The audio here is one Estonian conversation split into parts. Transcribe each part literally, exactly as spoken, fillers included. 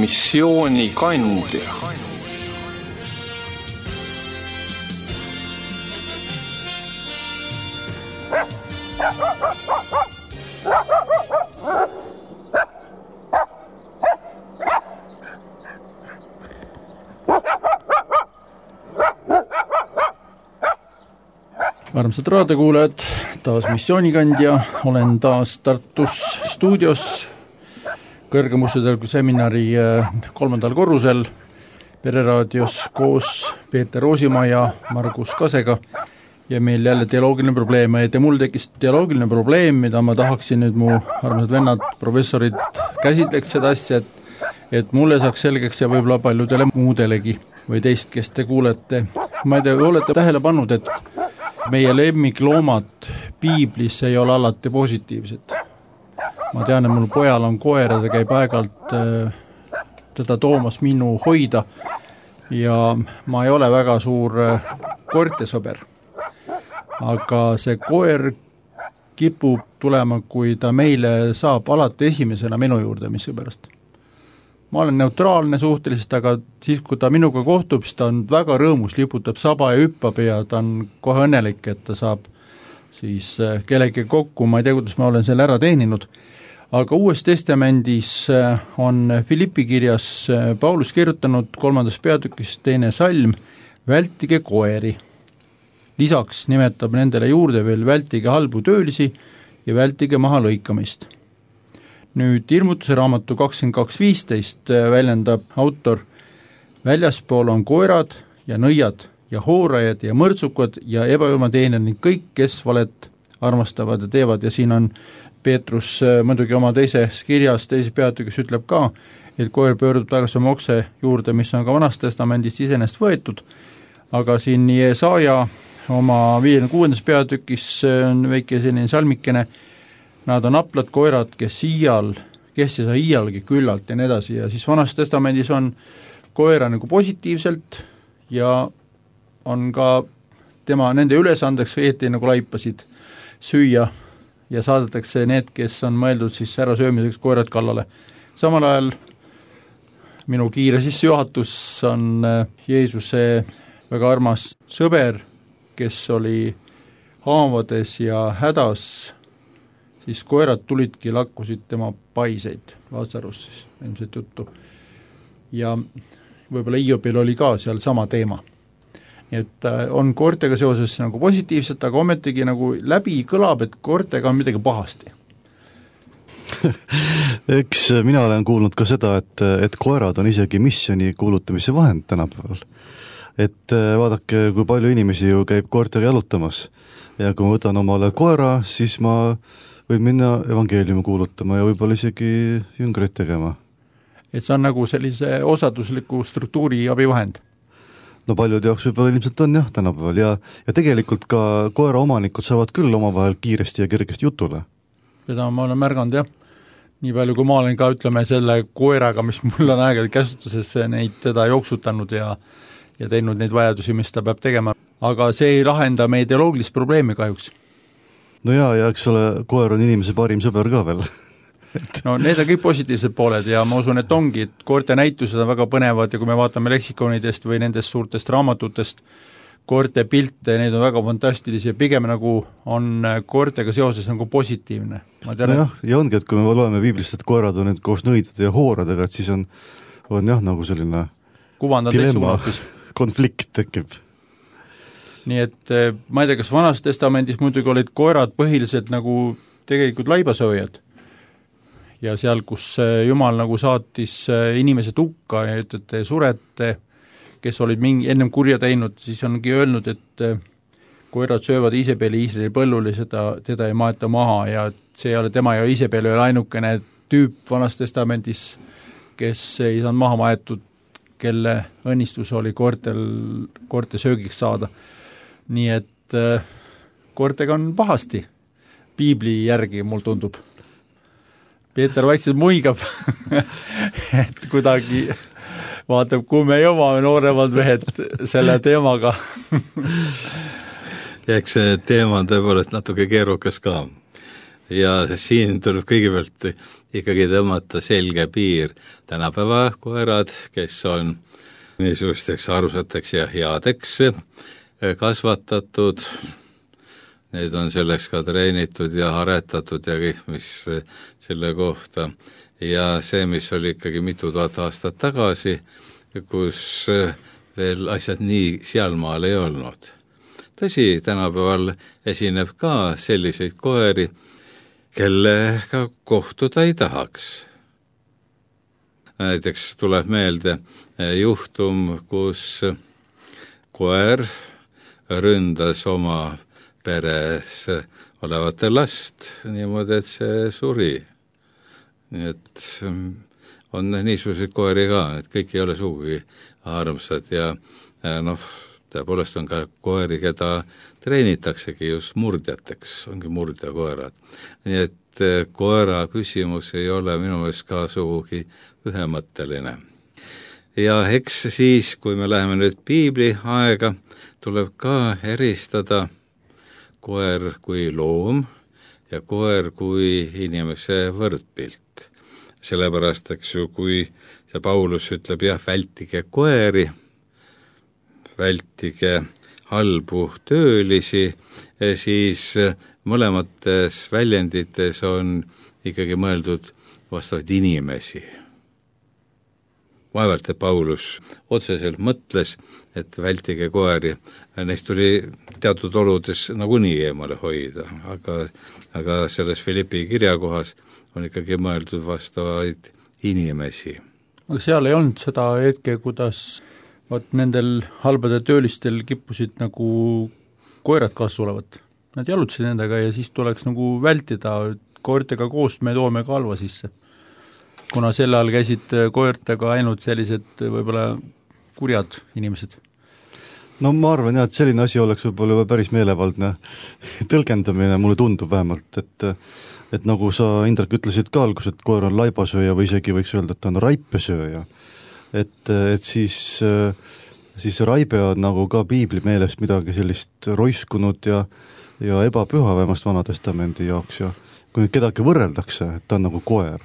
missioonikandja. Armsad raadiokuulajad, taas missioonikandja, olen taas Tartus stuudios kõrgemustetelgu seminari kolmandal korrusel Pereraadios koos Peeter Roosimaa ja Margus Kasega ja meil jälle dialoogiline probleem, et mul tekkis dialoogiline probleem, mida ma tahaksin nüüd mu armsad vennad, professorid käsitleks seda asja, et, et mulle saaks selgeks ja võib-olla paljudele muudelegi või teist, kes te kuulete. Ma ei tea, olete tähele pannud, et meie lemmikloomad piiblis ei ole alati positiivsed. Ma tean, et mul pojal on koer ja ta käib aegalt äh, teda toomas minu hoida ja ma ei ole väga suur äh, koertesõber. Aga see koer kipub tulema, kui ta meile saab alati esimesena minu juurde, mis sõberast. Ma olen neutraalne suhteliselt, aga siis, kui ta minuga kohtub, siis ta on väga rõõmus, liputab saba ja hüppab ja ta on kohe õnnelik, et ta saab siis kellegi kokku, ma ei tea, kuidas ma olen selle ära teeninud. Aga Uues Testamendis on Filippi kirjas Paulus kirjutanud kolmandas peatükis teine salm, vältige koeri. Lisaks nimetab nendele juurde veel vältige halbu töölisi ja vältige maha lõikamist. Nüüd ilmutuse raamatu kakskümmend kaks viisteist väljendab autor, väljaspool on koerad ja nõiad ja hoorajad ja mõrtsukad ja ebajumateenijad ning kõik, kes valet armastavad ja teevad. Ja siin on Peetrus muidugi oma teises kirjas, teises peatükis ütleb ka, et koer pöördub tagasi oma okse juurde, mis on ka Vanas Testamendist iseenesest võetud, aga siin Jesaja oma viiekümne kuuendas peatükis on väike selline salmikene, nad on aplad koerad, kes iial, kes ei saa iialgi küllalt ja nii edasi. Ja siis Vanas Testamendis on koera nagu positiivselt ja on ka tema nende ülesandeks õieti nagu laipasid süüa ja saadetakse need, kes on mõeldud siis ära söömiseks koerad kallale. Samal ajal minu kiire sissejuhatus on Jeesuse väga armas sõber, kes oli haavades ja hädas, siis koerad tulidki, lakkusid tema paiseid, Lazarus siis, ilmselt juttu. Ja võib-olla Iobil oli ka seal sama teema. Nii et on koertega seoses nagu positiivset, aga ometigi nagu läbi kõlab, et koertega on midagi pahasti. Eks mina olen kuulnud ka seda, et, et koerad on isegi missioni kuulutamise vahend tänapäeval. Et vaadake, kui palju inimesi ju käib koertega jalutamas ja kui ma võtan omale koera, siis ma võib minna evangeeliumi kuulutama ja võib-olla isegi jüngreid tegema. Et see on nagu sellise osadusliku struktuuri abivahend? No paljud jaoks võib-olla ilmselt on jah tänapäeval ja, ja tegelikult ka koera omanikud saavad küll omavahel kiiresti ja kergesti jutule. Seda ma olen märganud jah. Nii palju kui ma olen ka ütleme selle koeraga, mis mul on aegade käsutuses neid teda jooksutanud ja, ja teinud neid vajadusi, mis ta peab tegema. Aga see ei lahenda meie ideoloogilist probleemi kahjuks. No jaa, ja eks ole, koer on inimese parim sõber ka veel. No need on kõik positiivsed pooled ja ma usun, et ongi, et koerte näitused on väga põnevad ja kui me vaatame leksikonidest või nendest suurtest raamatutest koerte pilte, need on väga fantastilisi ja pigem nagu on koertega seoses nagu positiivne. Ma tean, no jah, ja ongi, et kui me loeme piiblist, et koerad on need koos nõidade ja hooradega, et siis on, on jah nagu selline dilemma, konflikt tekib. Nii et ma ei tea, kas Vanas Testamendis muidugi olid koerad põhiliselt nagu tegelikult laibasööjad ja seal, kus Jumal nagu saatis inimesed hukka ja ütlete surete, kes olid mingi ennem kurja teinud, siis ongi öelnud, et koerad söövad Iisabeli Iisraeli põllul ja seda, teda ei maeta maha ja see ei ole tema ja Iisabel ei ole ainukene tüüp Vanas Testamendis, kes ei saanud maha maetud, kelle õnnistus oli koertel, koerte söögiks saada. Nii et äh, koertega on pahasti, piibli järgi mul tundub. Peeter vaikselt muigab, et kuidagi vaatab, kui me jõuame nooremad mehed selle teemaga. Ja eks see teema on tõepoolest natuke keerukas ka. Ja siin tuleb kõigepealt ikkagi tõmmata selge piir. Tänapäeva koerad, kes on niisugusteks armsateks ja headeks kasvatatud, need on selleks ka treenitud ja aretatud ja kõik, mis selle kohta. Ja see, mis oli ikkagi mitu tuhat aastat tagasi, kus veel asjad nii sealmaal ei olnud. Tõsi, tänapäeval esineb ka selliseid koeri, kellega kohtuda ei tahaks. Näiteks tuleb meelde juhtum, kus koer ründas oma peres olevate last niimoodi, et see suri. Nii et on niisuguseid koeri ka, et kõik ei ole sugugi armsad ja noh, tõepoolest on ka koeri, keda treenitaksegi just murdjateks, ongi murdjakoerad. Nii et koera küsimus ei ole minu meelest ka sugugi ühemõtteline. Ja eks siis, kui me läheme nüüd piibli aega, tuleb ka eristada koer kui loom ja koer kui inimese võrdpilt. Sellepärast, eks ju, kui see Paulus ütleb, jah, vältige koeri, vältige halbu töölisi, siis mõlemates väljendites on ikkagi mõeldud vastavaid inimesi. Vaevalt, et Paulus otseselt mõtles, et vältige koeri, neist tuli teatud oludes nagunii eemale hoida, aga, aga selles Filippi kirjakohas on ikkagi mõeldud vastavaid inimesi. Aga seal ei olnud seda hetke, kuidas vaat nendel halbade töölistel kippusid nagu koerad kaasa tulevad. Nad jalutasid nendega ja siis tuleks nagu vältida, koertega koos me toome ka halva sisse. Kuna selle all käisid koertega ainult sellised võib-olla kurjad inimesed. No ma arvan jah, et selline asi oleks võib-olla päris meelevaldne tõlgendamine, mulle tundub vähemalt, et et nagu sa, Indrek, ütlesid ka algus, et koer on laibasööja või isegi võiks öelda, et ta on raipesööja. Et, et siis, siis raibe on nagu ka piibli meelest midagi sellist roiskunud ja, ja ebapüha vähemast Vanatestamendi jaoks ja kui nüüd kedagi võrreldakse, et ta on nagu koer,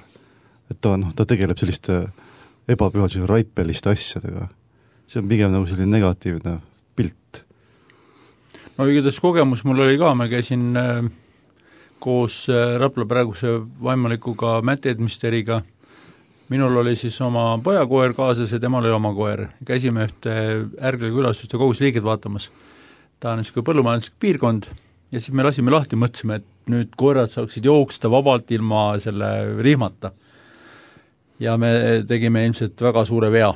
et ta, no, ta tegeleb selliste ebapühaduse raipeliste asjadega. See on pigem nagu selline negatiivne pilt. No igatahes kogemus mul oli ka, ma käisin äh, koos äh, Rapla praeguse vaimulikuga Matt Edmisteriga. Minul oli siis oma pojakoer kaasas ja temal oli oma koer. Käisime ühte Ärgla külas ühte kogusliiget vaatamas. Ta on niisugune põllumajanduslik piirkond ja siis me lasime lahti, mõtlesime, et nüüd koerad saaksid jooksta vabalt ilma selle rihmata. Ja me tegime ilmselt väga suure vea,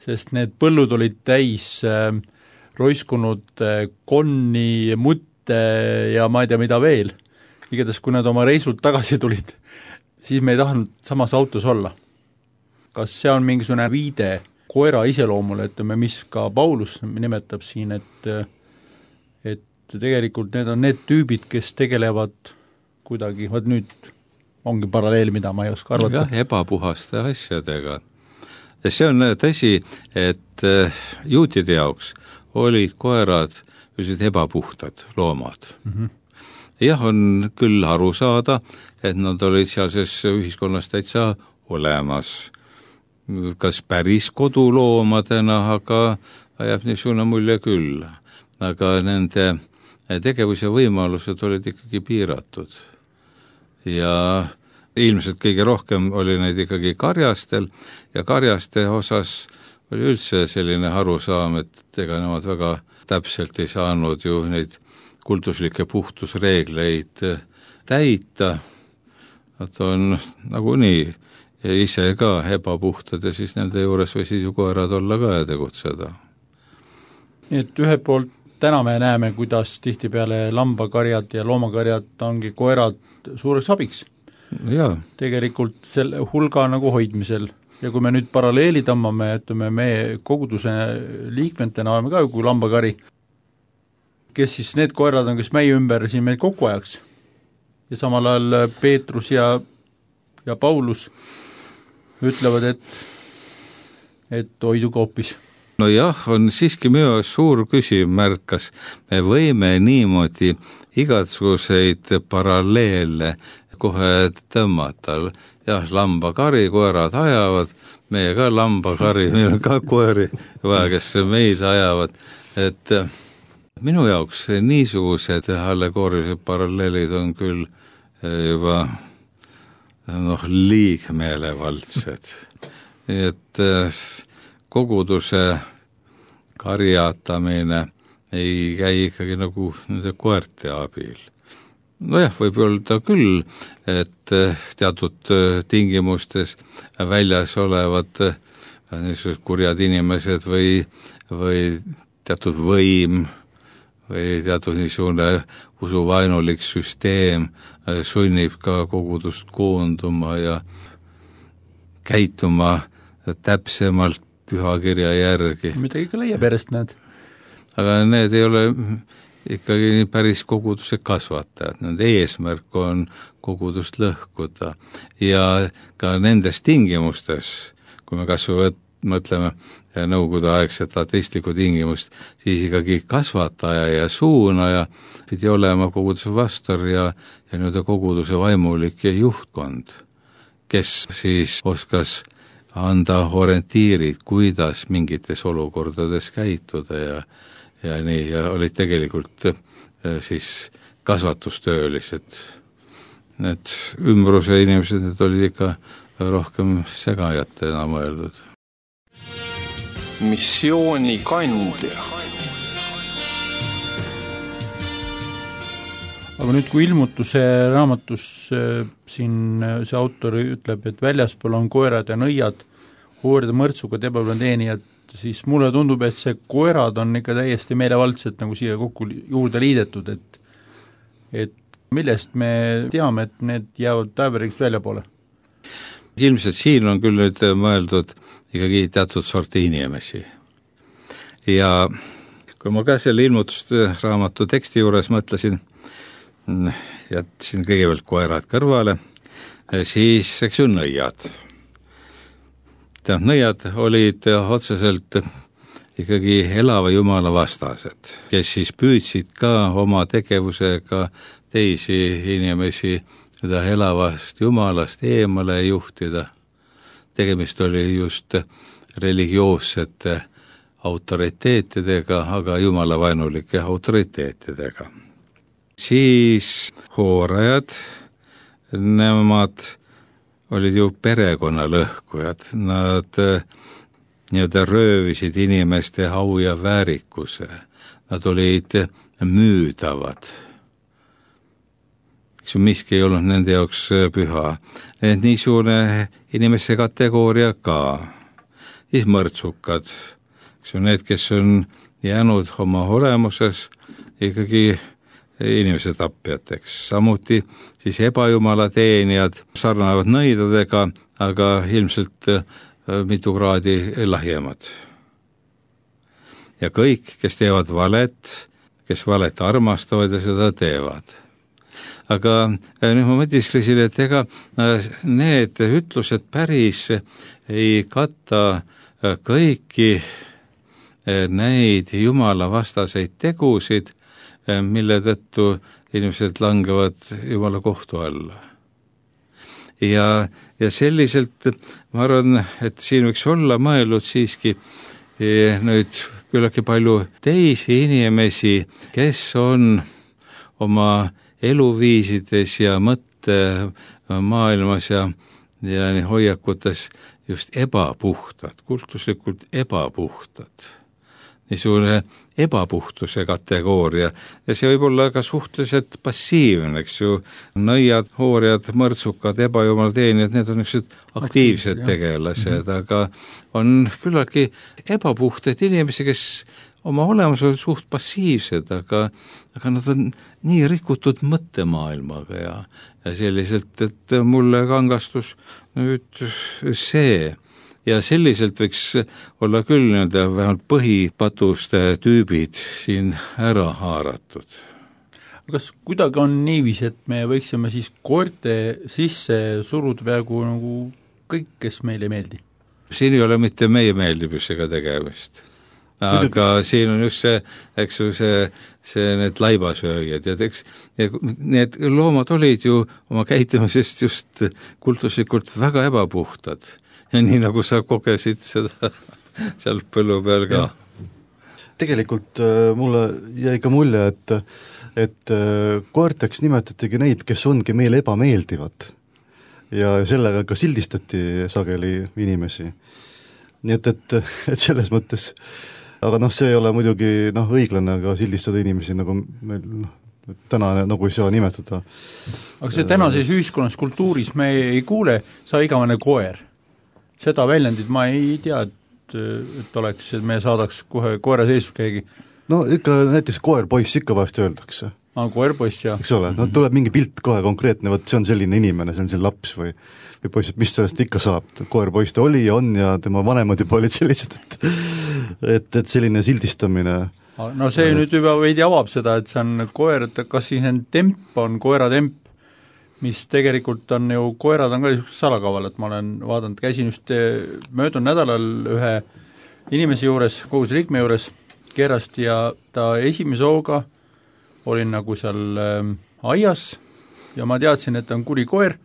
sest need põllud olid täis äh, roiskunud äh, konni, mutte ja ma ei tea mida veel. Igatahes, kui nad oma reisult tagasi tulid, siis me ei tahtnud samas autos olla. Kas see on mingisugune viide koera iseloomule, et me, mis ka Paulus nimetab siin, et, et tegelikult need on need tüübid, kes tegelevad kuidagi, vaat nüüd ongi paralleel, mida ma ei oska arvata. Jah, ebapuhaste asjadega. Ja see on tõsi, et juutide jaoks olid koerad üldiselt ebapuhtad loomad. Mm-hmm. Jah, on küll aru saada, et nad olid sealses ühiskonnas täitsa olemas. Kas päris koduloomadena, aga jääb niisugune mulje küll. Aga nende tegevus ja võimalused olid ikkagi piiratud. Ja ilmselt kõige rohkem oli neid ikkagi karjastel ja karjaste osas oli üldse selline arusaam, et ega nemad väga täpselt ei saanud ju neid kultuslikke puhtusreegleid täita. Nad on nagunii ja ise ka ebapuhtad ja siis nende juures võisid ju koerad olla ka ja tegutseda. Nii et ühe poolt täna me näeme, kuidas tihtipeale lambakarjad ja loomakarjad ongi koerad suureks abiks. Jaa. Tegelikult selle hulga nagu hoidmisel. Ja kui me nüüd paralleeli tõmbame, ütleme, me koguduse liikmetena oleme ka kui lambakari, kes siis need koerad on, kes meie ümber siin meil kokku ajaks. Ja samal ajal Peetrus ja, ja Paulus ütlevad, et, et hoidu koopis. No jah, on siiski minu suur küsimärk, kas me võime niimoodi igasuguseid paralleele kohe tõmmata. Jah, lambakari, koerad ajavad, meie ka lambakari, meil on ka koeri vaja, kes meid ajavad, et minu jaoks niisugused allegoorilised paralleelid on küll juba noh, liigmeelevaldsed. Nii et koguduse karjatamine ei käi ikkagi nagu nende koerte abil. Nojah, võib öelda küll, et teatud tingimustes väljas olevad niisugused kurjad inimesed või, või teatud võim või teatud niisugune usuvainulik süsteem sunnib ka kogudust koonduma ja käituma täpsemalt pühakirja järgi. Midagi ikka leiab järjest need. Aga need ei ole ikkagi päris koguduse kasvatajad, nende eesmärk on kogudust lõhkuda ja ka nendes tingimustes, kui me kas või mõtleme nõukogude aegset ateistlikku tingimust, siis ikkagi kasvataja ja suunaja pidi olema koguduse vastar ja, ja nüüd koguduse vaimulik ja juhtkond, kes siis oskas anda orientiirid, kuidas mingites olukordades käituda ja ja nii, ja olid tegelikult siis kasvatustöölised. Need ümbruse inimesed, need olid ikka rohkem segajatena mõeldud. Missiooni kandja. Aga nüüd, kui ilmutuse raamatus siin see autor ütleb, et väljaspool on koerad ja nõiad, hoorida mõrtsugad, ebablondeenijad, siis mulle tundub, et see koerad on ikka täiesti meelevaldselt nagu siia kokku juurde liidetud, et, et millest me teame, et need jäävad taeveriks välja poole? Ilmselt siin on küll nüüd mõeldud ikkagi teatud sorti inimesi. Ja kui ma ka selle ilmutusraamatu teksti juures mõtlesin, jätsin kõigepealt koerad kõrvale, siis eks ju nõiad. Nõiad olid otseselt ikkagi elava Jumala vastased, kes siis püüdsid ka oma tegevusega teisi inimesi seda elavast Jumalast eemale juhtida. Tegemist oli just religioossete autoriteetidega, aga jumalavainulike autoriteetidega. Siis hoorajad, nemad olid ju perekonna lõhkujad, nad nii-öelda röövisid inimeste au ja väärikuse, nad olid müüdavad. Eks ju miski ei olnud nende jaoks püha. Need niisugune inimeste kategooria ka. Siis mõrtsukad, eks ju need, kes on jäänud oma olemuses ikkagi inimese tapjateks. Samuti siis ebajumala teenijad sarnavad nõidadega, aga ilmselt mitu kraadi lahjemad. Ja kõik, kes teevad valet, kes valet armastavad ja seda teevad. Aga nüüd ma mõtisklesin, et ega need ütlused päris ei katta kõiki neid Jumala vastaseid tegusid, mille tõttu inimesed langevad Jumala kohtu alla. Ja, ja selliselt ma arvan, et siin võiks olla mõelnud siiski nüüd küllaki palju teisi inimesi, kes on oma eluviisides ja mõtte maailmas ja, ja hoiakutes just ebapuhtad, kultuslikult ebapuhtad. Niisugune ebapuhtuse kategooria ja see võib olla ka suhteliselt passiivne, eks ju, nõiad, hoorjad, mõrtsukad, ebajumal teenijad, need on niisugused aktiivsed tegelased, mm-hmm. aga on küllaki ebapuhtad inimesi, kes oma olemus on suht passiivsed, aga, aga nad on nii rikutud mõttemaailmaga ja, ja selliselt, et mulle kangastus nüüd see. Ja selliselt võiks olla küll nii-öelda vähemalt põhipatuste tüübid siin ära haaratud. Kas kuidagi on niiviisi, et me võiksime siis koerte sisse suruda peaaegu nagu kõik, kes meile ei meeldi? Siin ei ole mitte meie meeldibusega tegemist. aga Muidugi. Siin on just see, eks ju, see, see need laibasööjad ja eks ja need loomad olid ju oma käitumisest just kultuslikult väga ebapuhtad. Ja nii nagu sa kogesid seda seal põllu peal ka. Tegelikult äh, mulle jäi ka mulje, et, et äh, koerteks nimetatigi neid, kes ongi meile ebameeldivad. Ja sellega ka sildistati sageli inimesi. Nii et, et, et selles mõttes, aga noh, see ei ole muidugi noh, õiglane ka sildistada inimesi, nagu meil noh, täna nagu ei saa nimetada. Aga see tänases ühiskonnas kultuuris me ei kuule, sa igavene koer. Seda väljendit ma ei tea, et, et oleks, et me saadaks kohe koera seisus keegi. No ikka näiteks koer-poiss ikka vahest öeldakse. Ah, koer-poiss, jah. Eks ole, no tuleb mingi pilt kohe konkreetne, võt see on selline inimene, see on see laps või või poiss, et mis sellest ikka saab, koer-poiss ta oli ja on ja tema vanemad juba olid sellised, et et, et selline sildistamine. No see nüüd juba veidi avab seda, et see on koer, et kas siis need temp on koeratemp, mis tegelikult on ju, koerad on ka salakaval, et ma olen vaadanud, käisin just möödunud nädalal ühe inimese juures, kogus liikme juures kerast ja ta esimese hooga olin nagu seal äh, aias ja ma teadsin, et ta on kuri koer,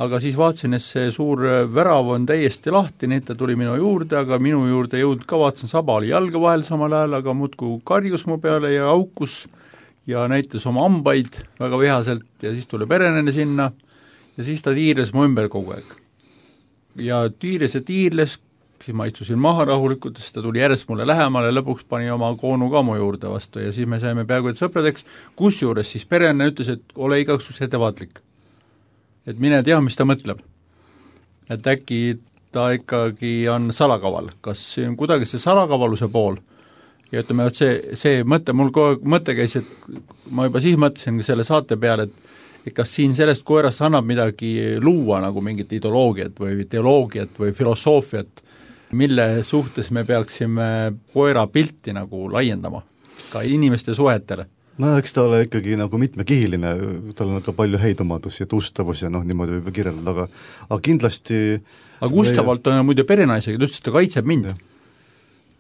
aga siis vaatasin, et see suur värav on täiesti lahti, nii et ta tuli minu juurde, aga minu juurde jõud ka, vaatasin, saba oli jalga vahel samal ajal, aga muudku karjus mu peale ja aukus ja näitas oma ambaid väga vihaselt ja siis tuli perenene sinna ja siis ta tiirles mu ümber kogu aeg. Ja tiirles ja tiirles, siis ma istusin maha rahulikult, siis ta tuli järjest mulle lähemale, lõpuks pani oma koonu ka mu juurde vastu ja siis me saime peaaegu et sõpradeks, kusjuures siis perenne ütles, et ole igaks ettevaatlik. Et mine tea, mis ta mõtleb. Et äkki ta ikkagi on salakaval, kas see on kuidagi see salakavaluse pool ja ütleme, et see, see mõte, mul kogu mõte käis, et ma juba siis mõtlesin selle saate peale, et, et kas siin sellest koerast annab midagi luua nagu mingit ideoloogiat või teoloogiat või filosoofiat, mille suhtes me peaksime koera pilti nagu laiendama ka inimeste suhetele. No eks ta ole ikkagi nagu mitmekihiline, tal on ka palju häid omadusi ja tustavus ja noh, niimoodi võib kirjeldada, aga, aga kindlasti aga Gustavalt on muide perenaisega, ta ütles, et ta kaitseb mind.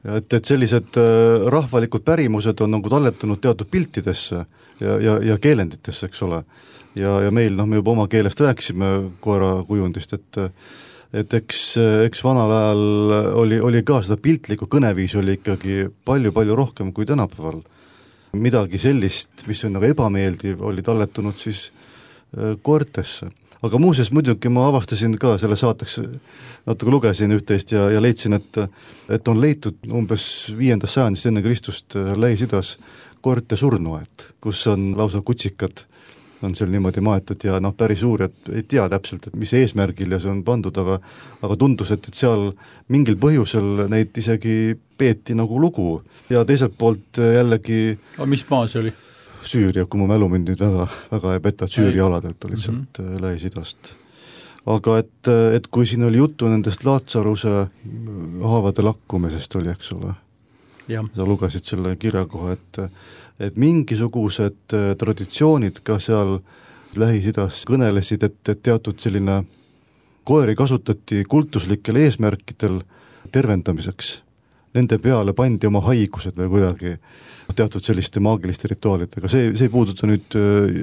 Ja et, et sellised äh, rahvalikud pärimused on nagu talletunud teatud piltidesse ja, ja, ja keelenditesse, eks ole. Ja, ja meil, noh, me juba oma keelest rääkisime koera kujundist, et et eks, eks vanal ajal oli, oli ka seda piltlikku kõneviisi oli ikkagi palju-palju rohkem kui tänapäeval. Midagi sellist, mis on nagu ebameeldiv, oli talletunud siis koertesse. Aga muuseas muidugi ma avastasin ka selle saateks, natuke lugesin üht-teist ja, ja leidsin, et, et on leitud umbes viiendas sajandist enne Kristust Lähis-Idas koerte surnuaed, kus on lausa kutsikad, on seal niimoodi maetud ja noh, päris uurijad ei tea täpselt, et mis eesmärgil ja see on pandud, aga, aga tundus, et, et seal mingil põhjusel neid isegi peeti nagu lugu ja teiselt poolt jällegi aga mis maa see oli? Süüria, kui mu mälu mind nüüd väga, väga ei peta, et Süüria aladelt olid sealt mm-hmm. Lähis-Idast. Aga et, et kui siin oli juttu nendest Laatsaruse haavade lakkumisest oli, eks ole, ja. Sa lugesid selle kirja kohe, et, et mingisugused traditsioonid ka seal Lähis-Idas kõnelesid, et, et teatud selline koeri kasutati kultuslikel eesmärkidel tervendamiseks. Nende peale pandi oma haigused või kuidagi teatud selliste maagiliste rituaalidega. See, see ei puuduta nüüd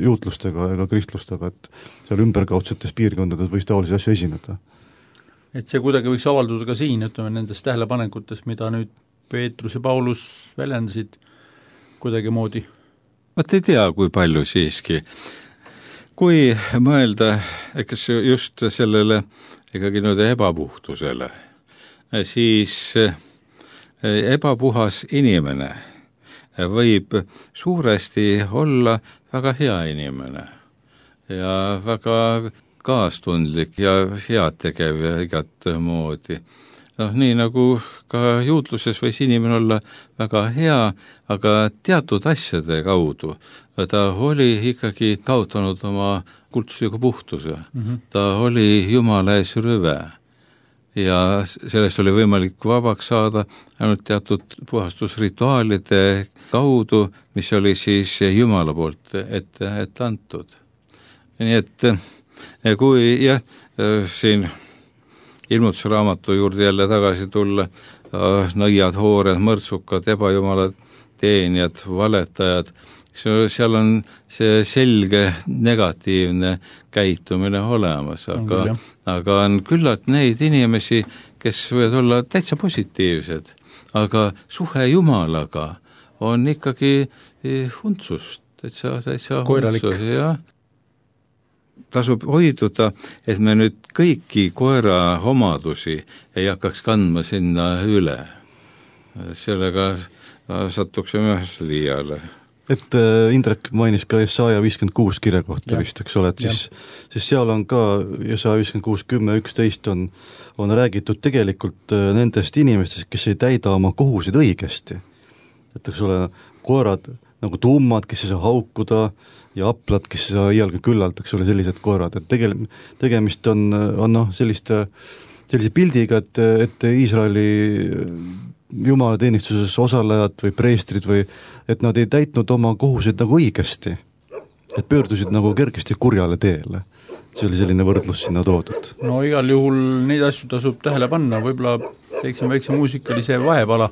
juutlustega ega kristlustega, et seal ümberkaudsetes piirkondades võis taolisi asju esineda. Et see kuidagi võiks avalduda ka siin, ütleme nendes tähelepanekutes, mida nüüd Peetrus ja Paulus väljendasid kuidagi moodi. Ma ei tea, kui palju siiski. Kui mõelda eks just sellele ikkagi nüüd ebapuhtusele, siis ebapuhas inimene võib suuresti olla väga hea inimene ja väga kaastundlik ja headtegev ja igat moodi. noh, nii nagu ka juutluses võis inimene olla väga hea, aga teatud asjade kaudu ta oli ikkagi kaotanud oma kultusliku puhtuse. Mm-hmm. Ta oli Jumala ees rüve ja sellest oli võimalik vabaks saada ainult teatud puhastusrituaalide kaudu, mis oli siis Jumala poolt ette, ette antud. Nii et kui jah, siin ilmutusraamatu juurde jälle tagasi tulla, nõiad, hoored, mõrtsukad, ebajumalad, teenijad, valetajad, seal on see selge negatiivne käitumine olemas, aga, aga on küllalt neid inimesi, kes võivad olla täitsa positiivsed, aga suhe Jumalaga on ikkagi huntsust, täitsa, täitsa koiralik. Huntsus, jah. Tasub hoiduda, et me nüüd kõiki koera omadusi ei hakkaks kandma sinna üle. Sellega satuksime liiale. Et äh, Indrek mainis ka Jesaja viiskümmend kuus kirja kohta ja. Vist, eks ole, et siis, siis seal on ka Jesaja viiskümmend kuus, kümme, üksteist on, on räägitud tegelikult äh, nendest inimestest, kes ei täida oma kohusid õigesti. Et eks ole, koerad nagu tummad, kes ei saa haukuda, ja aplad, kes ei saa iialgi küllalt, eks ole, sellised koerad, et tegel, tegemist on, on noh, selliste, sellise pildiga, et, et Iisraeli jumalateenistuses osalejad või preestrid või, et nad ei täitnud oma kohuseid nagu õigesti, et pöördusid nagu kergesti kurjale teele. See oli selline võrdlus sinna toodud. No igal juhul neid asju tasub tähele panna, võib-olla teeksime väikse muusikalise vahepala.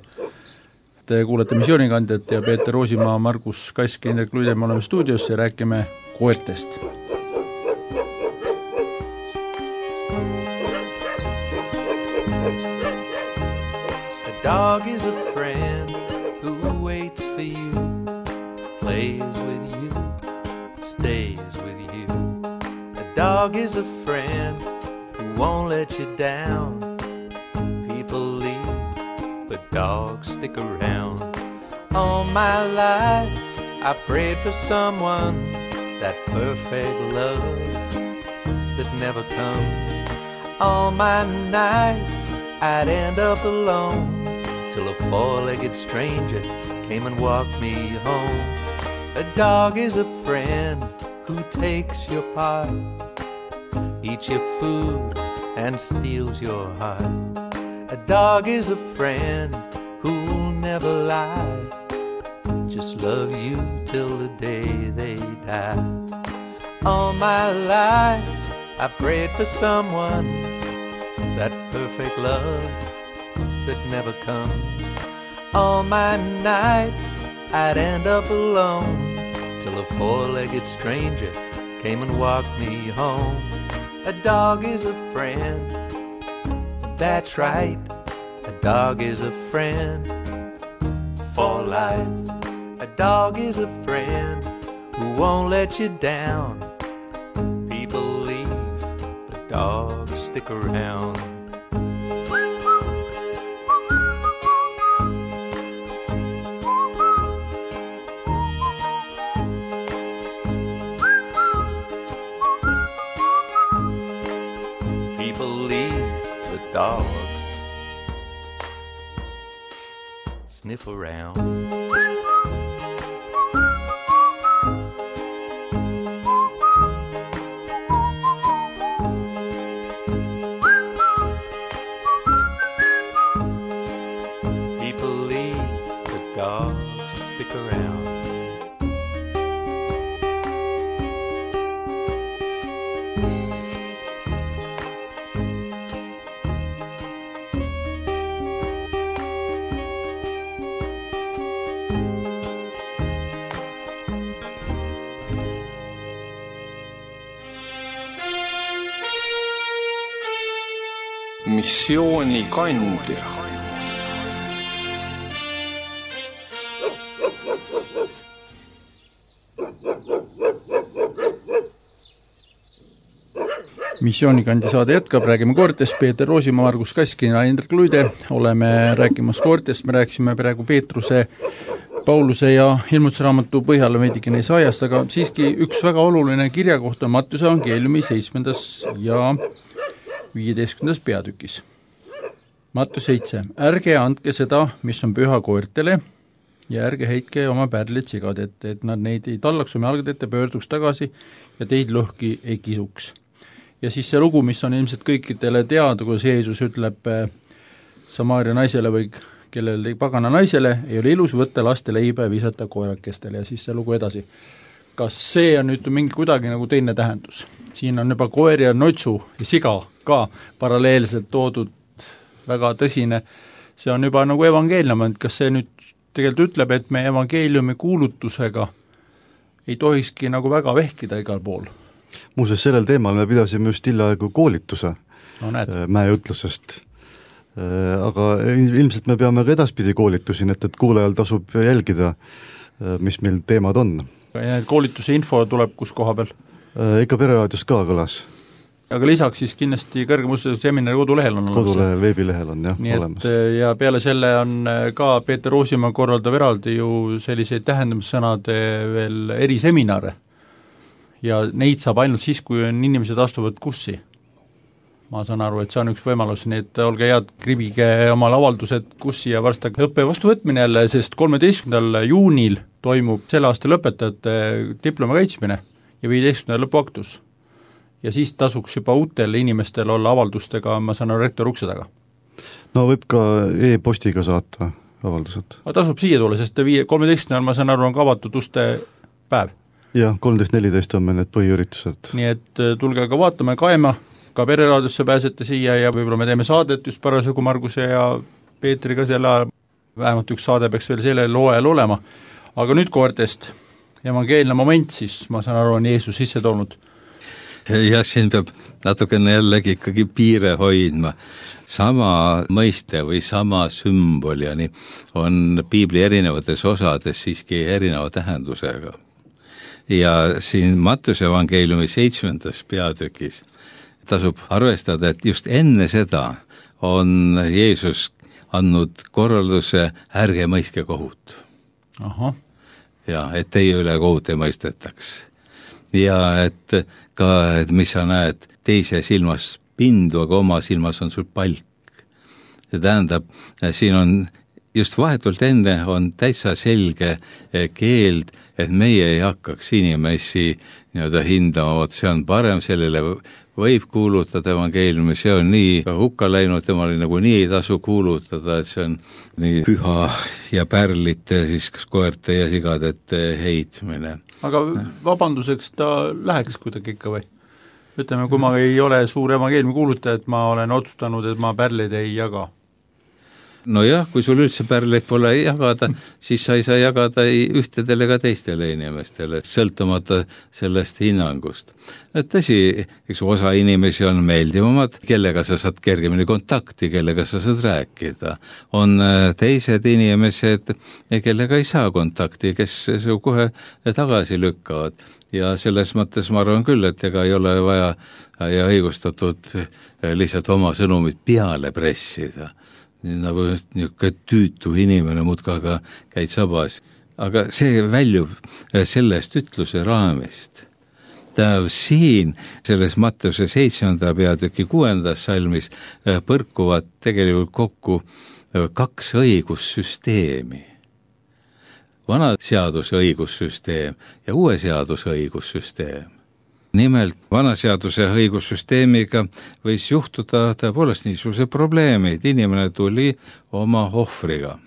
Te kuulete missioonikandjat ja Peeter Roosimaa, Margus Kask, Indrek Luide, me oleme stuudios ja räägime koertest. A dog is a friend who waits for you, plays with you, stays with you. A dog is a friend who won't let you down. People leave, but dogs stick around. All my life I prayed for someone, that perfect love that never comes. All my nights I'd end up alone, till a four-legged stranger came and walked me home. A dog is a friend who takes your part, eats your food and steals your heart. A dog is a friend who'll never lie, just love you till the day they die. All my life I prayed for someone, that perfect love that never comes. All my nights I'd end up alone, till a four-legged stranger came and walked me home. A dog is a friend, that's right, a dog is a friend for life. A dog is a friend who won't let you down. People leave, but dogs stick around. People leave, but dogs sniff around. Missioonikandja. Missioonikandja saade jätkab, räägime koertest, Peeter Roosimaa, Margus Kask ja Indrek Luide. Oleme rääkimas koertest, me rääkisime praegu Peetruse, Pauluse ja ilmutusraamatu põhjal veidikene Jesaajast, aga siiski üks väga oluline kirja kohta Mattuse evangeeliumi seitsmendas ja viieteistkümnendas peatükis. Mattus seitse. Ärge andke seda, mis on püha koertele ja ärge heitke oma pärlid sigad ette, et nad neid ei tallaks oma jalgade ette, pöörduks tagasi ja teid lõhki ei kisuks. Ja siis see lugu, mis on ilmselt kõikidele teada, kui Jeesus ütleb Samaaria naisele või kellele pagana naisele, ei ole ilus võtta laste leiba ja visata koerakestele ja siis see lugu edasi. Kas see on nüüd mingi kuidagi nagu teine tähendus? Siin on juba koer ja notsu ja siga ka paralleelselt toodud väga tõsine see on juba nagu evangeelium, et kas see nüüd tegelikult ütleb, et me evangeeliumi kuulutusega ei tohikski nagu väga vehkida igal pool? Muuseas, sellel teemal me pidasime just hiljaaegu koolituse no, mäeütlusest. Aga ilmselt me peame ka edaspidi koolitusi, et, et kuulajal tasub jälgida, mis meil teemad on. Ja need koolituse info tuleb kus koha peal? Ikka Pereraadios ka kõlas. Aga lisaks siis kindlasti kõrgemustused seminari kodulehel on kodulehel, veebilehel on jah nii olemas. Et, ja peale selle on ka Peeter Roosimaa korraldab eraldi ju selliseid tähendamissõnade veel eriseminare ja neid saab ainult siis, kui on inimesed astuvad kurssi. Ma saan aru, et see on üks võimalus, nii et olge head, kribige omal avaldused kurssi ja varsti õppe vastu võtmine jälle, sest kolmeteistkümnendal juunil toimub selle aasta lõpetajate diplomi kaitsmine ja viieteistkümnendal lõpuaktus. Ja siis tasuks juba uutel inimestel olla avaldustega, ma saan aru, rektor ukse taga. No võib ka e-postiga saata avaldused. Aga tasub siia tulla, sest kolmeteistkümnendal ma saan aru, on ka avatud uste päev. Jah, kolmteist neliteist on meil need põhiüritused. Nii et tulge ka vaatama ja kaema, ka Pereraadiosse pääsete siia ja võib-olla me teeme saadet just parasjagu Marguse ja Peetriga selle ajal, vähemalt üks saade peaks veel selle loojal olema. Aga nüüd koortest evangeelne moment, siis ma saan aru, on Jeesus sisse toonud. Ja siin peab natukene jällegi ikkagi piire hoidma. Sama mõiste või sama sümboljani on piibli erinevates osades siiski erineva tähendusega. Ja siin Mattuse evangeeliumi seitsmendas peatükis tasub arvestada, et just enne seda on Jeesus andnud korralduse ärge mõistke kohut. Aha. Ja, et teie üle kohut ei mõistetaks. Ja et ka, et mis sa näed teise silmas pindu, aga oma silmas on sul palk. See tähendab, siin on just vahetult enne on täitsa selge keeld, et meie ei hakkaks inimesi nii-öelda hindama, et see on parem, sellele võib kuulutada evangeeliumi, see on nii hukka läinud, temal nagu nii ei tasu kuulutada, et see on nii püha ja pärlite, siis koerte ja sigadete heitmine. Aga vabanduseks ta läheks kuidagi ikka või? Ütleme, kui ma ei ole suur evangeeliumi kuulutaja, et ma olen otsustanud, et ma pärleid ei jaga. No jah, kui sul üldse pärleid pole jagada, siis sa ei saa jagada ühtedele ka teistele inimestele, sõltumata sellest hinnangust. Et tõsi, eks osa inimesi on meeldivamad, kellega sa saad kergemini kontakti, kellega sa saad rääkida. On teised inimesed, kellega ei saa kontakti, kes su kohe tagasi lükkavad. Ja selles mõttes ma arvan küll, et ega ei ole vaja ja õigustatud lihtsalt oma sõnumit peale pressida. Nagu niisugune tüütu inimene muudkaga käid sabas. Aga see väljub sellest ütluse raamist. Tähendab, siin selles Mattuse seitsmenda peatüki kuuendas salmis põrkuvad tegelikult kokku kaks õigussüsteemi. Vana seaduse õigussüsteem ja uue seaduse õigussüsteem. Nimelt vanaseaduse õigussüsteemiga võis juhtuda tõepoolest niisuguse probleemid. Inimene tuli oma ohvriga.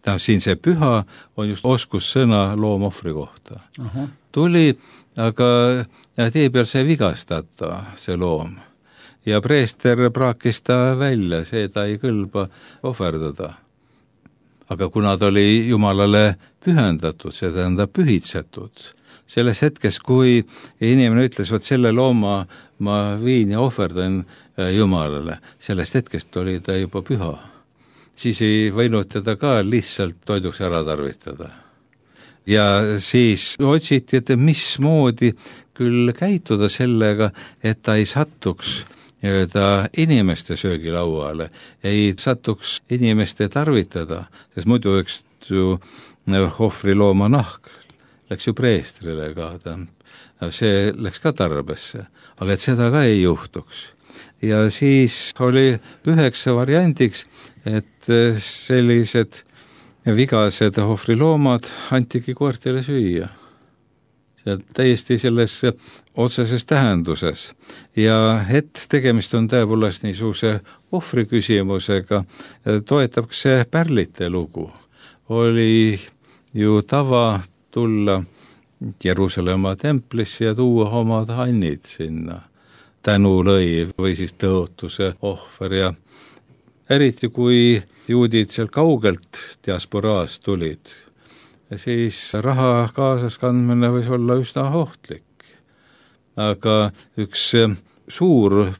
Tähendab, siin see püha on just oskussõna loomohvri kohta. Uh-huh. Tuli, aga tee peal see vigastata, see loom. Ja preester praakis ta välja, see ta ei kõlba ohverdada. Aga kuna ta oli Jumalale pühendatud, see tähendab pühitsetud, selles hetkes, kui inimene ütles, et selle looma ma viin ja ohverdan Jumalale, sellest hetkest oli ta juba püha. Siis ei võinud teda ka lihtsalt toiduks ära tarvitada. Ja siis otsiti, et mismoodi küll käituda sellega, et ta ei satuks ta inimeste söögilauale, ei satuks inimeste tarvitada, sest muidu üks ju ohvri looma nahk läks ju preestrile ka, see läks ka tarbesse, aga et seda ka ei juhtuks. Ja siis oli üheks variandiks, et sellised vigased ohvriloomad antigi koertele süüa. See täiesti selles otseses tähenduses. Ja et tegemist on tõepoolest niisuguse ohvri küsimusega, toetab see pärlite lugu. Oli ju tava tulla Jeruusalemma templisse ja tuua omad hannid sinna. Tänulõiv või siis tõotuse ohver ja eriti kui juudid seal kaugelt diasporaast tulid, siis raha kaasas kandmine võis olla üsna ohtlik. Aga üks suur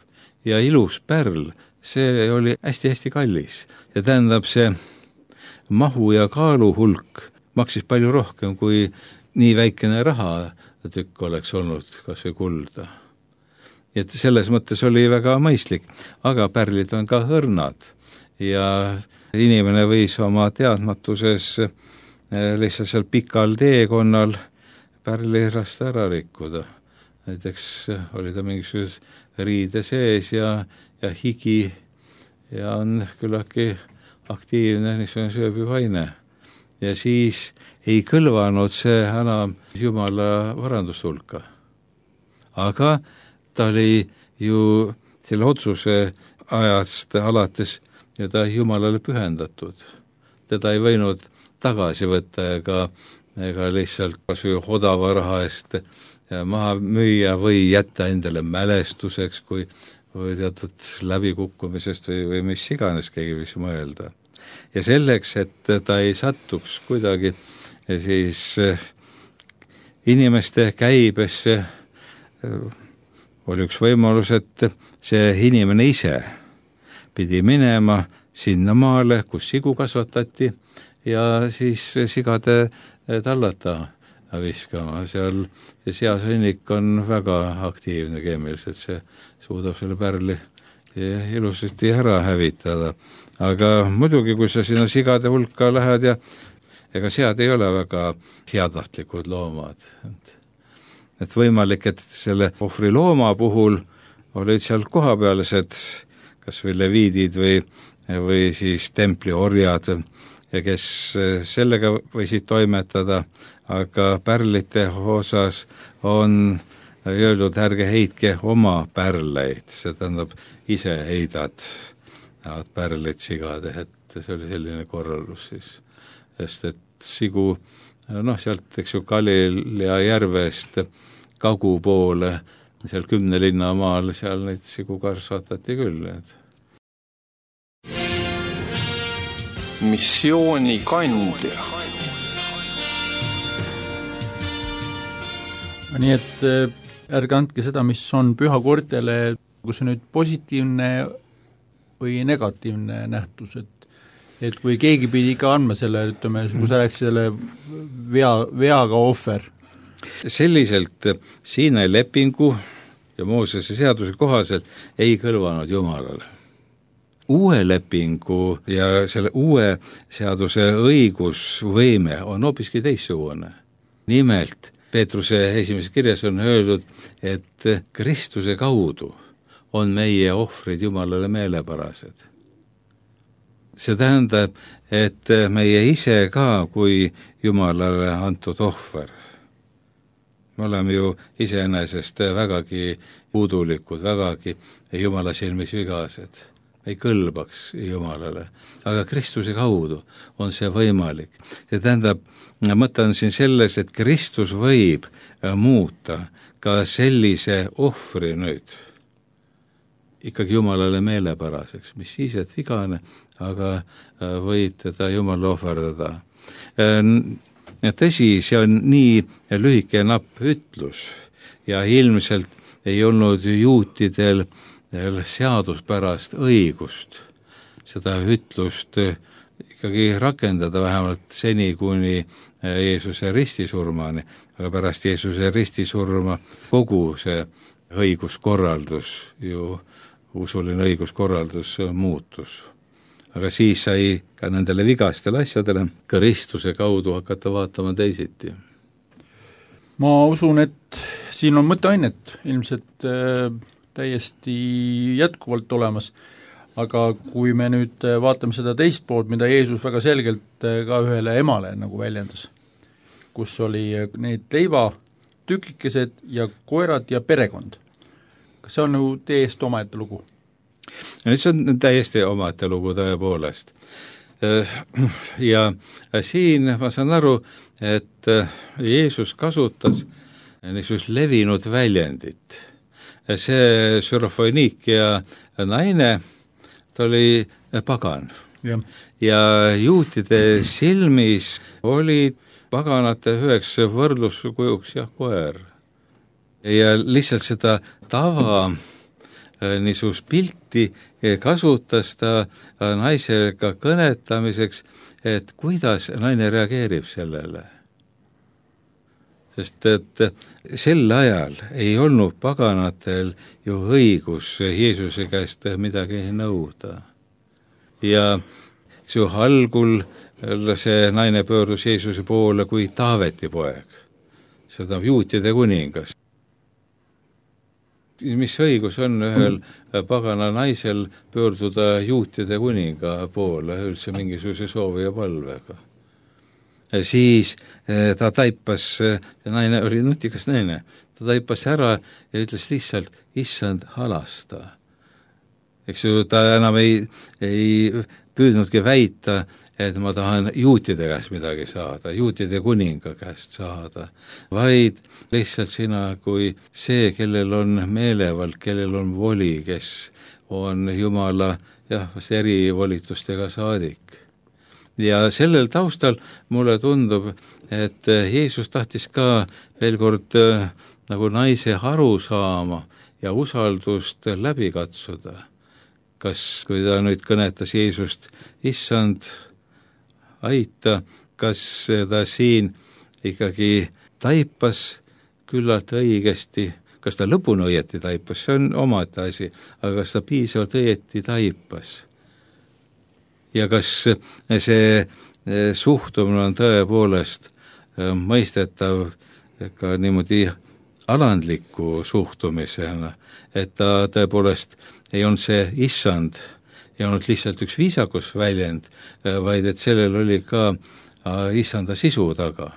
ja ilus pärl, see oli hästi-hästi kallis. Ja tähendab, see mahu ja kaalu hulk maksis palju rohkem, kui nii väikene raha tükk oleks olnud, kas või kulda. Et selles mõttes oli väga mõistlik, aga pärlid on ka õrnad ja inimene võis oma teadmatuses lihtsalt seal pikal teekonnal pärlirast ära rikkuda. Näiteks oli ta mingisuguse riide sees ja, ja higi ja on küllaki aktiivne niisugune sööbivaine. Ja siis ei kõlvanud see enam Jumala varandustulka. Aga ta oli ju selle otsuse ajast alates ja ta Jumalale pühendatud. Teda ei võinud tagasi võtta ega, ega lihtsalt kas või odava raha eest maha müüa või jätta endale mälestuseks, kui või teatud läbikukkumisest või, või mis iganes keegi võis mõelda. Ja selleks, et ta ei sattuks kuidagi siis inimeste käibesse, oli üks võimalus, et see inimene ise pidi minema sinna maale, kus sigu kasvatati ja siis sigade tallata viskama. Seal see seasõnnik on väga aktiivne keemiliselt, see suudab selle pärli ilusasti ära hävitada. Aga muidugi, kui sa sinna sigade hulka lähed ja ega sead ei ole väga heatahtlikud loomad. Et, et võimalik, et selle ohvri looma puhul olid seal kohapealised kas või leviidid või, või siis templi orjad, kes sellega võisid toimetada, aga pärlite osas on öeldud, ärge heitke oma pärleid, see tähendab ise heidad pärlid sigade, et see oli selline korraldus siis. Sest et sigu, noh, sealt, eks ju, Galilea järvest kagu poole, seal kümne linna maal, seal neid sigu kasvatati küll. Et. Missiooni kandja. Nii et ärge andke seda, mis on pühakortele, kus on nüüd positiivne või negatiivne nähtus, et et kui keegi pidi ikka andma selle, ütleme, kui sa rääksid selle vea, veaga ohver. Selliselt Siinai lepingu ja Moosese seaduse kohaselt ei kõlvanud Jumalale. Uue lepingu ja selle uue seaduse õigusvõime on hoopiski teissugune. Nimelt, Peetruse esimeses kirjas on öeldud, et Kristuse kaudu on meie ohvrid Jumalale meelepärased. See tähendab, et meie ise ka kui Jumalale antud ohver. Me oleme ju iseenesest vägagi puudulikud, vägagi Jumala silmis vigased. Ei kõlbaks Jumalale, aga Kristuse kaudu on see võimalik. See tähendab, mõtlen siin selles, et Kristus võib muuta ka sellise ohvri nüüd ikkagi Jumalale meelepäraseks, mis siis, et vigane, aga võib teda Jumala ohverdada. Tõsi, see on nii lühike ja napp ütlus ja ilmselt ei olnud juutidel seaduspärast õigust seda ütlust ikkagi rakendada vähemalt seni kuni Jeesuse ristisurmani, aga pärast Jeesuse ristisurma kogu see õiguskorraldus ju usuline õiguskorraldus muutus. Aga siis sai ka nendele vigastele asjadele Kristuse kaudu hakata vaatama teisiti. Ma usun, et siin on mõtteainet ilmselt äh, täiesti jätkuvalt olemas, aga kui me nüüd vaatame seda teist poolt, mida Jeesus väga selgelt ka ühele emale nagu väljendas, kus oli need leiva tükikesed ja koerad ja perekond. Kas see on nagu täiesti omaette lugu? See on täiesti omaette lugu tõepoolest. Ja siin ma saan aru, et Jeesus kasutas niisugust levinud väljendit. See Sürofoniikia naine, ta oli pagan. Ja. ja juutide silmis oli paganate üheks võrdluskujuks jah, koer. Ja lihtsalt seda tava niisugust pilti kasutas ta naisega kõnetamiseks, et kuidas naine reageerib sellele. Sest et sel ajal ei olnud paganatel ju õigus Jeesuse käest midagi nõuda. Ja see algul see naine pöördus Jeesuse poole kui Taaveti poeg, seda juutide kuningas. Mis õigus on ühel pagana naisel pöörduda juutide kuninga poole üldse mingisuguse soovi ja palvega? Siis ta taipas, see naine oli nutikas naine, ta taipas ära ja ütles lihtsalt, issand, halasta. Eks ju, ta enam ei, ei püüdnudki väita, et ma tahan juutide käest midagi saada, juutide kuninga käest saada, vaid lihtsalt sina kui see, kellel on meelevald, kellel on voli, kes on Jumala jah, erivolitustega saadik. Ja sellel taustal mulle tundub, et Jeesus tahtis ka veel kord nagu naise aru saama ja usaldust läbi katsuda. Kas, kui ta nüüd kõnetas Jeesust, issand, aita, kas ta siin ikkagi taipas küllalt õigesti, kas ta lõpuni õieti taipas, see on omaette asi, aga kas ta piisavalt õieti taipas? Ja kas see suhtumine on tõepoolest mõistetav ka niimoodi alandliku suhtumisena, et ta tõepoolest ei olnud see issand, ei olnud lihtsalt üks viisakus väljend, vaid et sellel oli ka issanda sisu taga.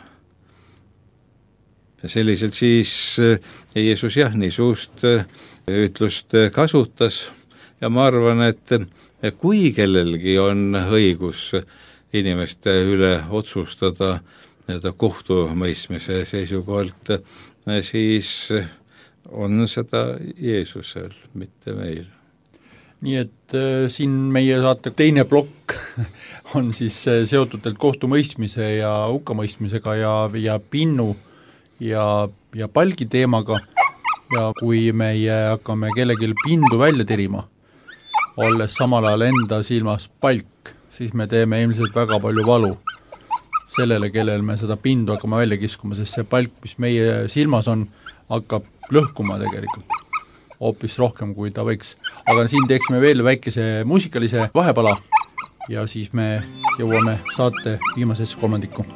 Ja selliselt siis Jeesus jah, niisugust ütlust kasutas ja ma arvan, et kui kellelgi on õigus inimeste üle otsustada kohtumõistmise seisukohalt, siis on seda Jeesusel, mitte meil. Nii et äh, siin meie saate teine plokk on siis seotud kohtumõistmise ja hukkamõistmisega ja, ja pinnu ja, ja palgi teemaga ja kui meie hakkame kellelgi pindu välja tirima, olles samal ajal enda silmas palk, siis me teeme ilmselt väga palju valu sellele, kellel me seda pindu hakkame välja kiskuma, sest see palk, mis meie silmas on, hakkab lõhkuma tegelikult hoopis rohkem, kui ta võiks. Aga siin teeksime veel väikese muusikalise vahepala ja siis me jõuame saate viimasesse kolmandikku.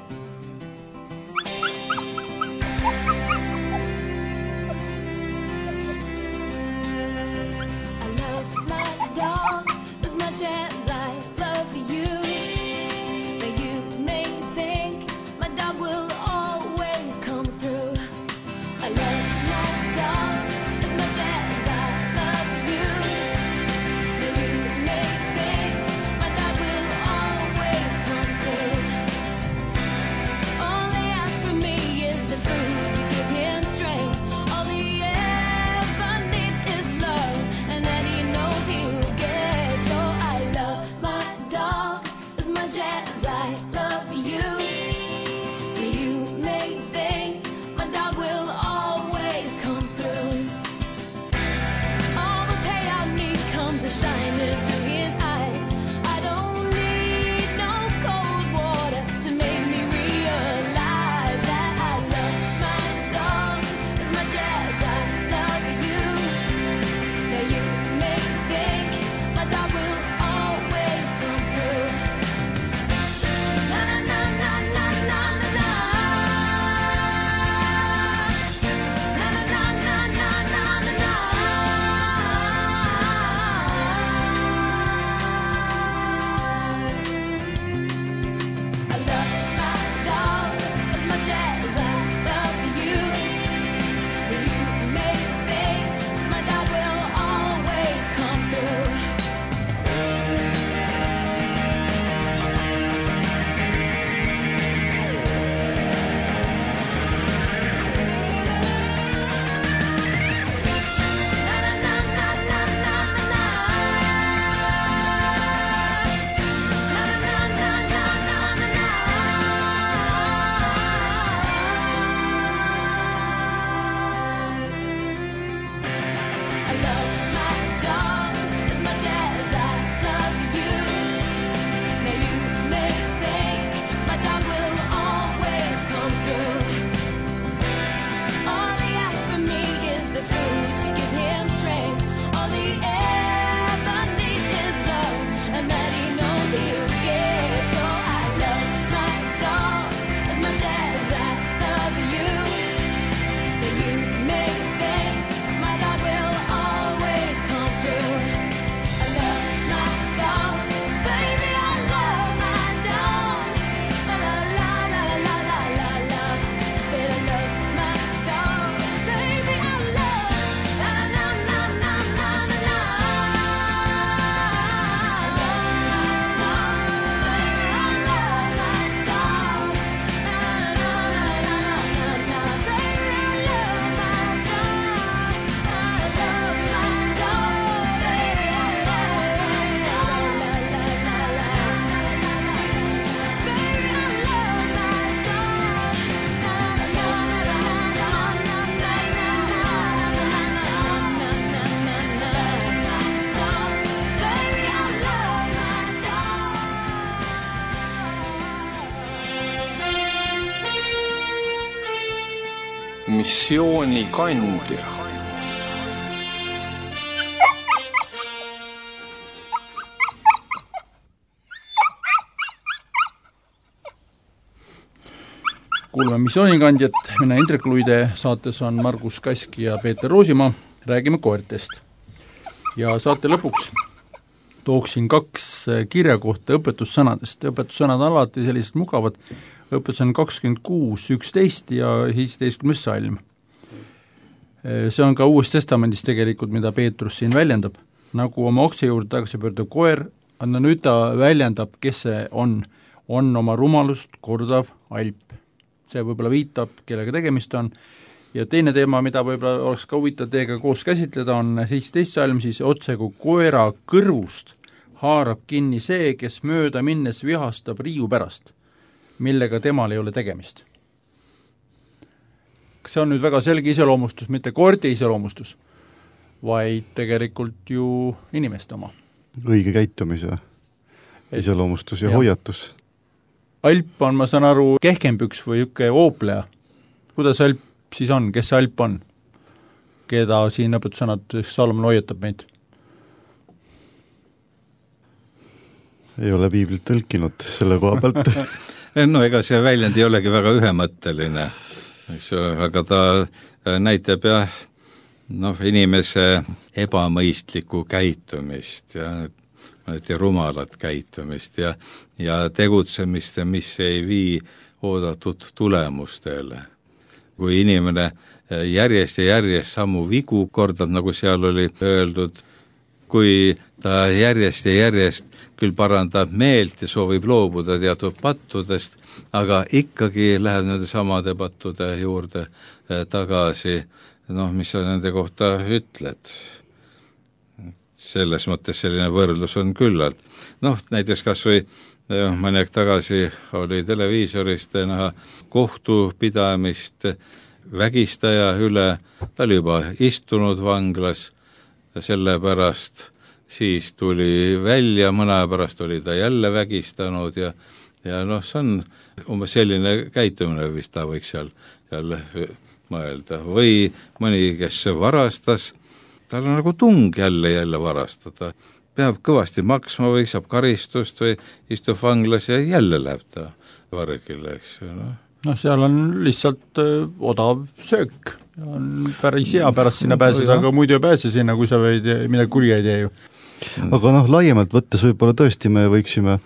missioonikandja. Kuulme missioonikandjat, mina Indrek Luide, saates on Margus Kask ja Peeter Roosimaa, räägime koertest. Ja saate lõpuks tooksin kaks kirja kohta õpetussõnadest. Õpetussõnad on alati sellised mugavad, õpetus on kakskümmend kuus üksteist ja seitseteistkümnes salm. See on ka Uues Testamendis tegelikult, mida Peetrus siin väljendab. Nagu oma okse juurde tagasi pöördav koer, anna nüüd ta väljendab, kes see on, on oma rumalust kordav alp. See võib-olla viitab, kellega tegemist on. Ja teine teema, mida võib-olla oleks ka huvitav teiega koos käsitleda, on seitseteist salm, siis otse kui koera kõrvust haarab kinni see, kes mööda minnes vihastab riiu pärast, millega temal ei ole tegemist. See on nüüd väga selge iseloomustus, mitte koerte iseloomustus, vaid tegelikult ju inimeste oma. Õige käitumise iseloomustus ja, ja hoiatus. Alp on, ma saan aru, kehkempüks või ükke oopleja. Kuidas alp siis on, kes see alp on? Keda siin õpetussõnad Salomon hoiatab meid? Ei ole piiblit tõlkinud selle koha pealt. No ega see väljend ei olegi väga ühemõtteline, eks ju, aga ta näitab jah, noh, inimese ebamõistlikku käitumist ja rumalat käitumist ja, ja tegutsemist, mis ei vii oodatud tulemustele. Kui inimene järjest ja järjest samu vigu kordab, nagu seal oli öeldud, kui ta järjest ja järjest küll parandab meelt ja soovib loobuda teatud pattudest, aga ikkagi läheb nende samade pattude juurde tagasi, noh, mis sa nende kohta ütled. Selles mõttes selline võrdlus on küllalt. Noh, näiteks kas või mõni aeg tagasi oli televiisorist näha kohtupidamist vägistaja üle, ta oli juba istunud vanglas, sellepärast siis tuli välja, mõne aja pärast oli ta jälle vägistanud ja, ja noh, see on umbes selline käitumine, vist ta võiks seal, seal mõelda. Või mõni, kes varastas, tal on nagu tung jälle jälle varastada. Peab kõvasti maksma või saab karistust või istub vanglas ja jälle läheb ta vargile, eks ju. No. no seal on lihtsalt öö, odav söök. On päris hea pärast sinna pääseda, no, aga muidu ei pääse sinna, kui sa võid midagi kurja ei tee ju. Aga noh, laiemalt võttes võib-olla tõesti me võiksime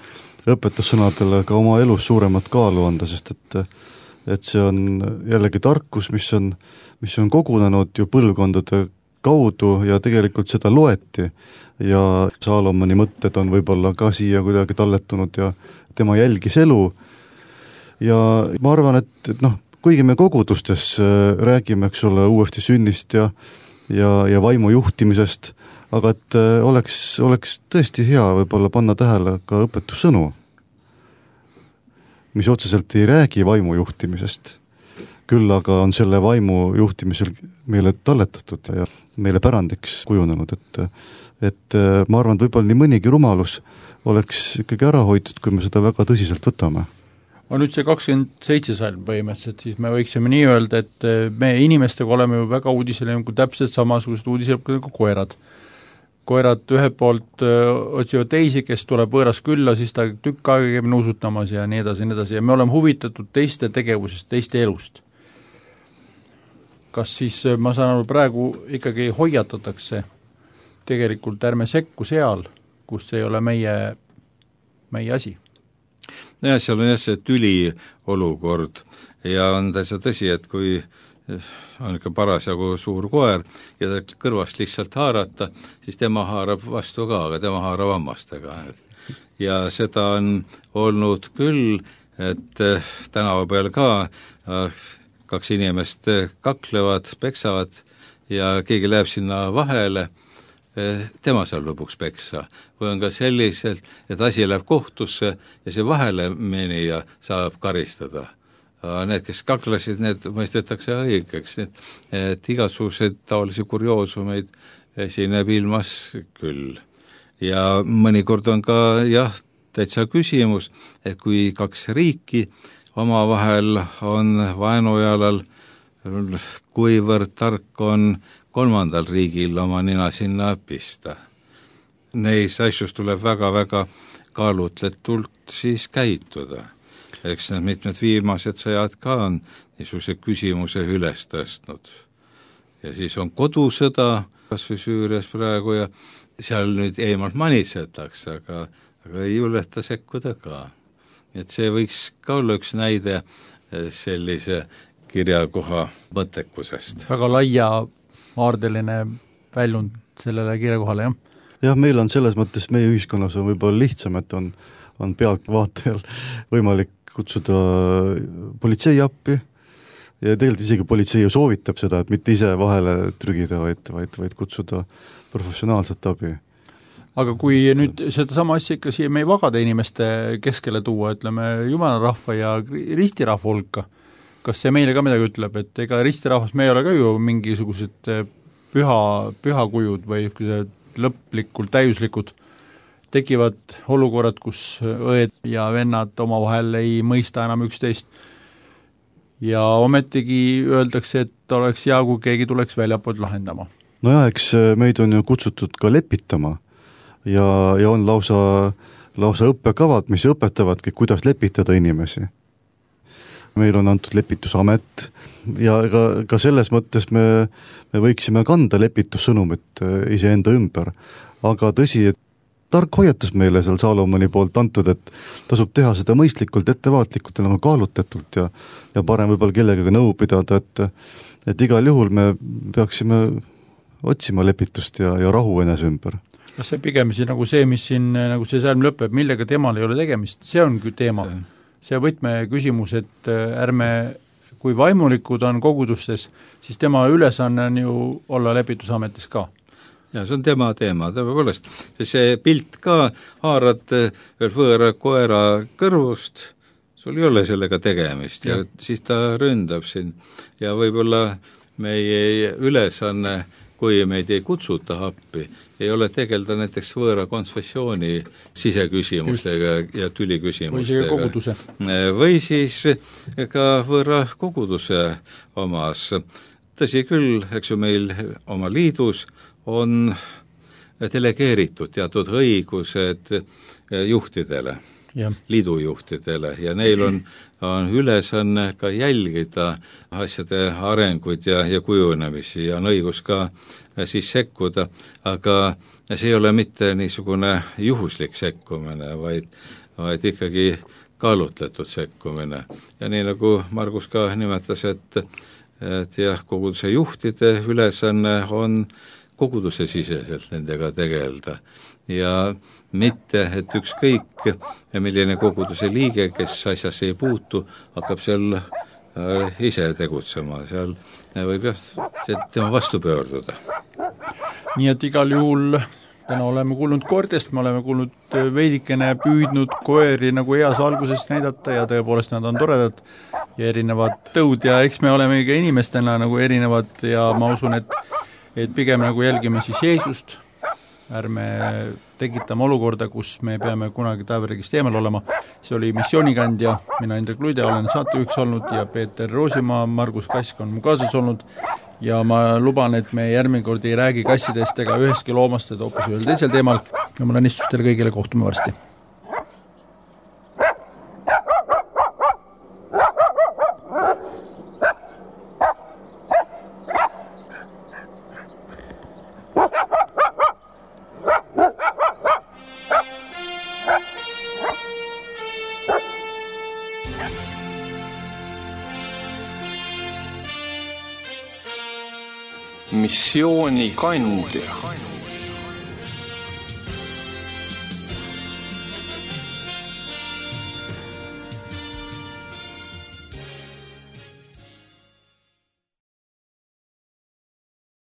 õpetussõnadele ka oma elus suuremat kaalu anda, sest et, et see on jällegi tarkus, mis on, mis on kogunenud ju põlvkondade kaudu ja tegelikult seda loeti ja Salomoni mõtted on võib-olla ka siia kuidagi talletunud ja tema jälgis elu ja ma arvan, et, et noh, kuigi me kogudustes räägime, eks ole, uuesti sünnist ja, ja, ja vaimu juhtimisest, aga et oleks, oleks tõesti hea võib-olla panna tähele ka õpetussõnu, mis otseselt ei räägi vaimu juhtimisest, küll aga on selle vaimu juhtimisel meile talletatud ja meile pärandiks kujunenud, et, et ma arvan, et võib-olla nii mõnigi rumalus oleks ikkagi ära hoitud, kui me seda väga tõsiselt võtame. On nüüd see kakskümmend seitse salm põhimõtteliselt, siis me võiksime nii öelda, et me inimestega oleme ju väga uudisele nagu täpselt samasugused uudised nagu koerad. Koerad ühelt poolt otsivad teisi, kes tuleb võõras külla, siis ta tükk aega käib nuusutamas ja nii edasi, nii edasi ja me oleme huvitatud teiste tegevusest, teiste elust. Kas siis, ma saan aru, praegu ikkagi hoiatatakse tegelikult ärme sekku seal, kus ei ole meie, meie asi? Ja seal on jah see tüli olukord ja on täitsa tõsi, et kui on ikka parasjagu suur koer ja ta kõrvast lihtsalt haarata, siis tema haarab vastu ka, aga tema haarab hammastega. Ja seda on olnud küll, et tänava peal ka kaks inimest kaklevad, peksavad ja keegi läheb sinna vahele, tema seal lõpuks peksa. Või on ka selliselt, et asi läheb kohtusse ja see vahele menija saab karistada. Need, kes kaklasid, need mõistetakse õigeks, et, et igasuguseid taolisi kurioosumeid esineb ilmas küll. Ja mõnikord on ka jah, täitsa küsimus, et kui kaks riiki omavahel on vaenujalal kuivõrd tark on kolmandal riigil oma nina sinna pista. Neis asjus tuleb väga-väga kaalutletult siis käituda. Eks need mitmed viimased sõjad ka on niisuguse küsimuse üles tõstnud. Ja siis on kodusõda, kas või Süürias praegu, ja seal nüüd eemalt manitsetakse, aga, aga ei juleta sekkuda ka. Et see võiks ka olla üks näide sellise kirjakoha mõttekusest. Väga laia aardeline väljund sellele kirjakohale, jah? Jah, meil on selles mõttes, meie ühiskonnas on võib-olla lihtsam, et on, on pealtvaatajal võimalik kutsuda politsei appi ja tegelikult isegi politsei ju soovitab seda, et mitte ise vahele trügida, vaid, vaid, vaid kutsuda professionaalset abi. Aga kui nüüd seda sama asja ikka siia meie vagade inimeste keskele tuua, ütleme jumalarahva ja ristirahva hulka, kas see meile ka midagi ütleb, et ega ristirahvas, me ei ole ka ju mingisugused püha, pühakujud või lõplikult täiuslikud, tekivad olukorrad, kus õed ja vennad omavahel ei mõista enam üksteist ja ometigi öeldakse, et oleks hea, kui keegi tuleks väljapoolt lahendama. No jah, eks meid on ju kutsutud ka lepitama ja, ja on lausa, lausa õppekavad, mis õpetavadki, kuidas lepitada inimesi. Meil on antud lepitusamet ja ka, ka selles mõttes me, me võiksime kanda lepitussõnumit iseenda ümber, aga tõsi, et tark hoiatus meile seal Saalomoni poolt antud, et tasub teha seda mõistlikult, ettevaatlikult ja nagu kaalutletult ja, ja parem võib-olla kellegagi nõu pidada, et, et igal juhul me peaksime otsima lepitust ja, ja rahu enese ümber. Kas see pigem siis nagu see, mis siin, nagu see sõlm lõpeb, millega temal ei ole tegemist, see on teema. See võtme küsimus, et ärme, kui vaimulikud on kogudustes, siis tema ülesanne on ju olla lepitusametis ka. Ja see on tema teema, tõepoolest. See pilt ka haarad veel võõra koera kõrvust, sul ei ole sellega tegemist ja, ja siis ta ründab sind. Ja võib-olla meie ülesanne, kui meid ei kutsuta appi, ei ole tegelda näiteks võõra konfessiooni siseküsimustega Just. ja tüliküsimustega. Või koguduse. Või siis ka võõra koguduse omas. Tõsi küll, eks ju meil oma liidus on delegeeritud teatud õigused juhtidele, ja. liidujuhtidele ja neil on, on ülesanne ka jälgida asjade arenguid ja, ja kujunemisi ja on õigus ka siis sekkuda, aga see ei ole mitte niisugune juhuslik sekkumine, vaid, vaid ikkagi kaalutletud sekkumine. Ja nii nagu Margus ka nimetas, et, et jah, koguduse juhtide ülesanne on koguduse siseselt nendega tegelda ja mitte, et ükskõik milline koguduse liige, kes asjasse ei puutu, hakkab seal ise tegutsema, seal võib jah tema vastu pöörduda. Nii et igal juhul täna oleme kuulnud koertest, me oleme kuulnud veidikene püüdnud koeri nagu eas algusest näidata ja tõepoolest nad on toredad ja erinevad tõud ja eks me oleme ka inimestena nagu erinevad ja ma usun, et et pigem nagu jälgime siis Jeesust, ärme tekitame olukorda, kus me peame kunagi taevaregist eemal olema. See oli missioonikandja, mina Indrek Luide olen saatejuhiks olnud ja Peeter Roosimaa, Margus Kask on mu kaasas olnud ja ma luban, et me järgmine kord ei räägi kassidest ega üheski loomast, et hoopis ühel teisel teemal ja mul õnnistus teile kõigile, kohtume varsti. Missioonikandja.